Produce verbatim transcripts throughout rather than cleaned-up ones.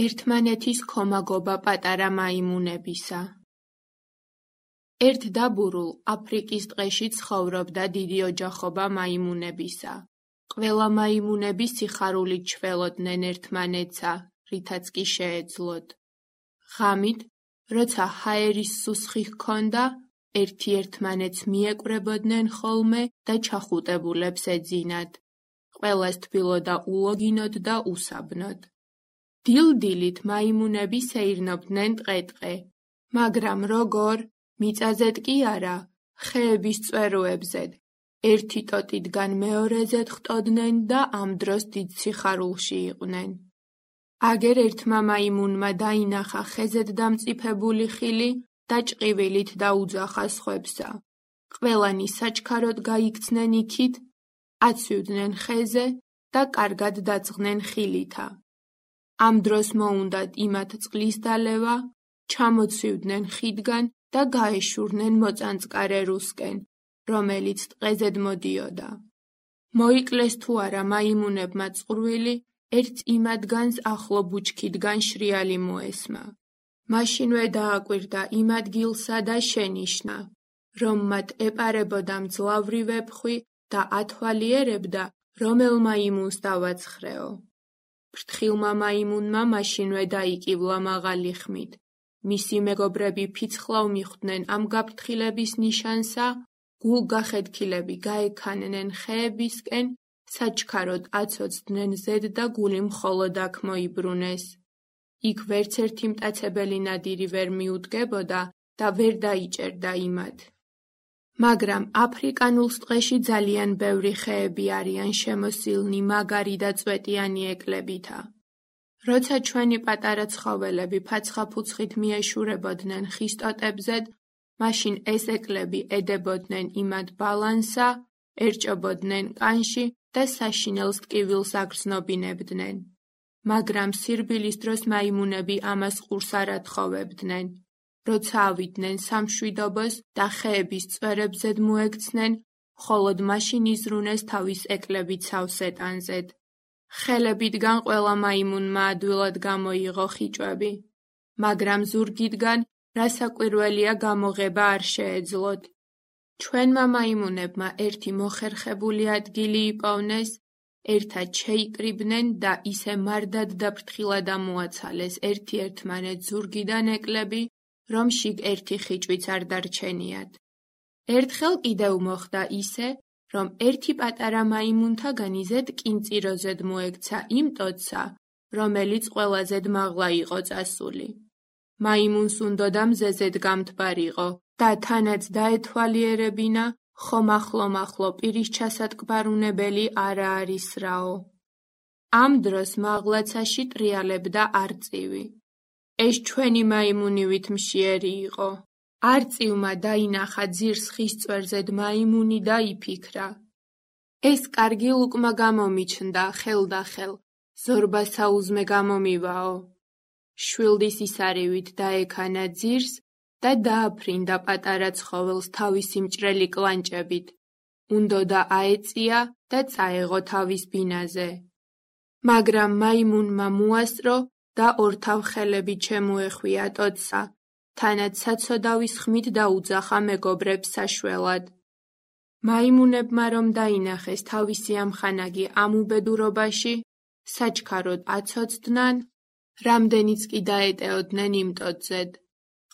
ერთმანეთის ქომაგობა პატარა მაიმუნებისა. ერთ დაბურულ აფრიკის ტყეში ცხოვრობდა დიდი ოჯახობა მაიმუნებისა. ყველა მაიმუნები სიხარულით ჩველოდნენ ერთმანეთსა, რითაც კი შეეძლოთ. ღამით, როცა ჰაერის სუსხი ჰქონდა, ერთი ერთმანეთს მიეკვრებოდნენ ხოლმე და ჩახუტებულებს ეძინათ. ყველას თბილოდა ულოგინოდ და უსაბნოდ. დილ-დილით მაიმუნები სეირნობდნენ ტყე-ტყე, მაგრამ როგორ? მიწაზედ კი არა, ხეების წვეროებზედ. ერთი ტოტიდან მეორეზედ ხტოდნენ და ამ დროს დიდ სიხარულში იყვნენ. აგერ ერთმა მაიმუნმა დაინახა ხეზედ დამწიფებული ხილი და ჭყივილით დაუძახა სხვებსა. ყველანი საჩქაროდ გაიქცნენ იქით, აცვივდნენ ხეზე და კარგად დაწყდნენ ხილითა. ამ დროს მოუნდათ იმათ წყლის დალევა, ჩამოცვივდნენ ხიდგან და გაეშურნენ მოწანწკარე რუსკენ, რომელიც ტყეზედ მოდიოდა. მოიკლეს თუ არა მაიმუნებმა წყურვილი, ერთ იმადგანს ახლო ბუჩქიდგან შრიალი მოესმა. მაშინვე დააკვირდა იმ ადგილსა და შენიშნა, რომ მათ ეპარებოდა მძლავრი ვეფხვი და ათვალიერებდა, რომელ მაიმუნს დავაცხრეო. ფრთხილმა მაიმუნმა მაშინვე დაიკივლა მაღალი ხმით. მისი მეგობრები ფიცხლავ მიხვდნენ ამ გაფრთხილების ნიშანსა, გულგახედქილები გაექანენ ხეებისკენ, საჩქაროდ აცოცდნენ ზედ და გული მხოლოდ აქ მოიბრუნეს. იქ ვერც ერთი მტაცებელი ნადირი ვერ მიუდგებოდა და ვერ დაიჭერდა იმათ. მაგრამ აფრიკანულ ტყეში ძალიან ბევრი ხეები არიან შემოსილნი მაგარი და წვეტიანი ეკვლებითა. როცა ჩვენი პატარა ცხოველები ფაცხა-ფუცხით მიეშურებოდნენ ხის ტოტებზედ, მაშინ ეს ეკლები ედებოდნენ იმათ ბალანსა, ერჭობოდნენ კანში და საშინელს ტკივილს აგრძნობინებდნენ. მაგრამ სირბილის დროს მაიმუნები ამას ყურს არ ათხოვებდნენ. როცა ავიდნენ სამშვიდობოს და ხეების წვერებზედ მოექცნენ, მხოლოდ მაშინ იზრუნეს თავის ეკლები ცავსეტანზედ. ხელებიდან ყველა მაიმუნმა ადვილად გამოიღო ხიჭვები, მაგრამ ზურგიდან რასაკვირველია გამოღება არ შეეძლოთ. ჩვენმა მაიმუნებმა ერთი მოხერხებული ადგილი იპოვნეს, ერთად შეიკრიბნენ და ისე მარდად და ფრთხილად ამოაცალეს ერთი ერთმანეთს ზურგიდან ეკლები, რომ შიგ ერთი ხიჭვიც არ დარჩენიათ. ერთხელ კიდევ მოხდა ისე, რომ ერთი პატარა მაიმუნთაგანი ზედ კინწიროზედ მოექცა იმ ტოტსა, რომელიც ყველაზე მაღლა იყო წასული. მაიმუნს უნდოდა მზეზედ გამთბარიყო და თანაც დაეთვალიერებინა, ხომ ახლო-მახლო პირის ჩასატკბარუნებელი არა არის რაო. ამ დროს მაღლაცაში ტრიალებდა არწივი. ეს ჩვენი მაიმუნივით მშიერი იყო. არწივმა დაინახა ძირს ხის წვერზედ მაიმუნი და იფიქრა. ეს კარგი ლუკმა გამომიჩნდა ხელდახელ, ზორბა საუზმე გამომივაო. შვილდის ისარივით დაექანა ძირს და დააფრინდა პატარა ცხოველს თავისი მჭრელი კლანჭებით. უნდოდა აეწია და წაეღო თავის ბინაზე. მაგრამ მაიმუნმა მოასწრო და ორთავ ხელებით შემოეხვია ტოტსა, თანაც საცოდავის ხმით დაუძახა მეგობრებს საშველად. მაიმუნებმა რომ დაინახეს თავისი ამხანაგი ამ უბედურობაში, საჩქაროდ აცოცდნან, რამდენიც კი დაეტეოდნენ იმ ტოტზედ.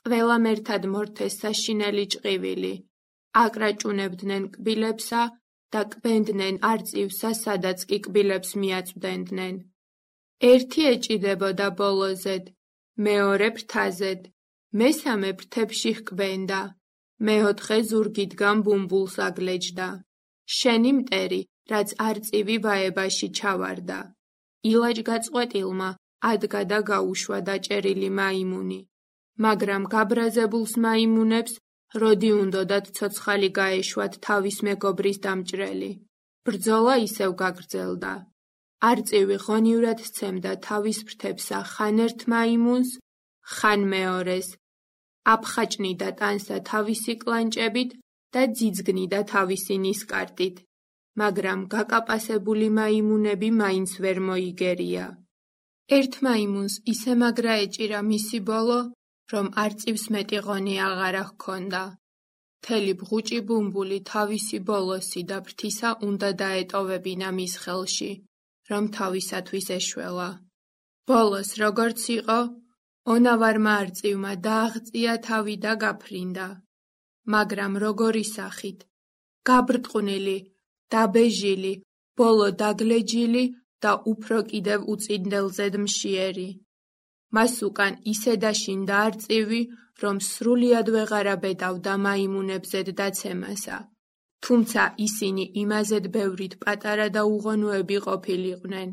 ყველამ ერთად მორთეს საშინელი ჭყივილი, აკრაჭუნებდნენ კბილებსა და კბენდნენ არწივსა, სადაც კი კბილებს მიაწვდენდნენ. ერთი ეჭიდებოდა ბოლოზედ, მეორე ფრთაზედ, მესამე ფრთებში ჰკბენდა, მეოთხე ზურგიდან ბუმბულს აგლეჯდა. შენი მტერი, რაც არწივი ვაებაში ჩავარდა. ილაჯგაწყვეტილმა ადგა და გაუშვა დაჭერილი მაიმუნი. მაგრამ გაბრაზებულს მაიმუნებს როდი უნდოდათ ცოცხალი გაეშვათ თავის მეგობრის დამჭრელი. ბრძოლა ისევ გაგრძელდა. არწივი ღონივრად სცემდა თავის ფრთებსა ხან ერთ მაიმუნს, ხან მეორეს. აფხაჭნიდა ტანსა თავისი კლანჭებით და ძიძგნიდა თავისი ნისკარტით. მაგრამ გაკაპასებული მაიმუნები მაინც ვერ მოიგერია. ერთ მაიმუნს ისე მაგრა ეჭირა მისი ბოლო, რომ არწივს მეტი ღონი აღარა ჰქონდა. მთელი ბღუჭი ბუმბული თავისი ბოლოსი და ფრთისა უნდა დაეტოვებინა მის ხელში, რომ თავისათვის ეშველა. ბოლოს როგორც იყო, ონავარმა არწივმა დააღწია თავი და გაფრინდა. მაგრამ როგორი სახით, გაბრტყვნილი, დაბეჟილი, ბოლო დაგლეჯილი და უფრო კიდევ უწინდელზედ მშიერი. მას უკან ისე დაშინდა არწივი, რომ სრულიად ვეღარ აბედავდა მაიმუნებზედ დაცემასა, თუმცა ისინი იმაზედ ბევრით პატარა და უღონოები ყოფილიყვნენ.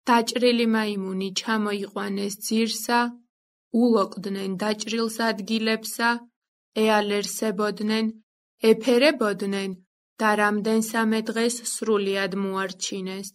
დაჭრილი მაიმუნი ჩამოიყვანეს ძირსა, ულოყდნენ დაჭრილს ადგილებსა, ეალერსებოდნენ, ეფერებოდნენ და რამდენსამე დღეს სრულიად მოარჩინეს.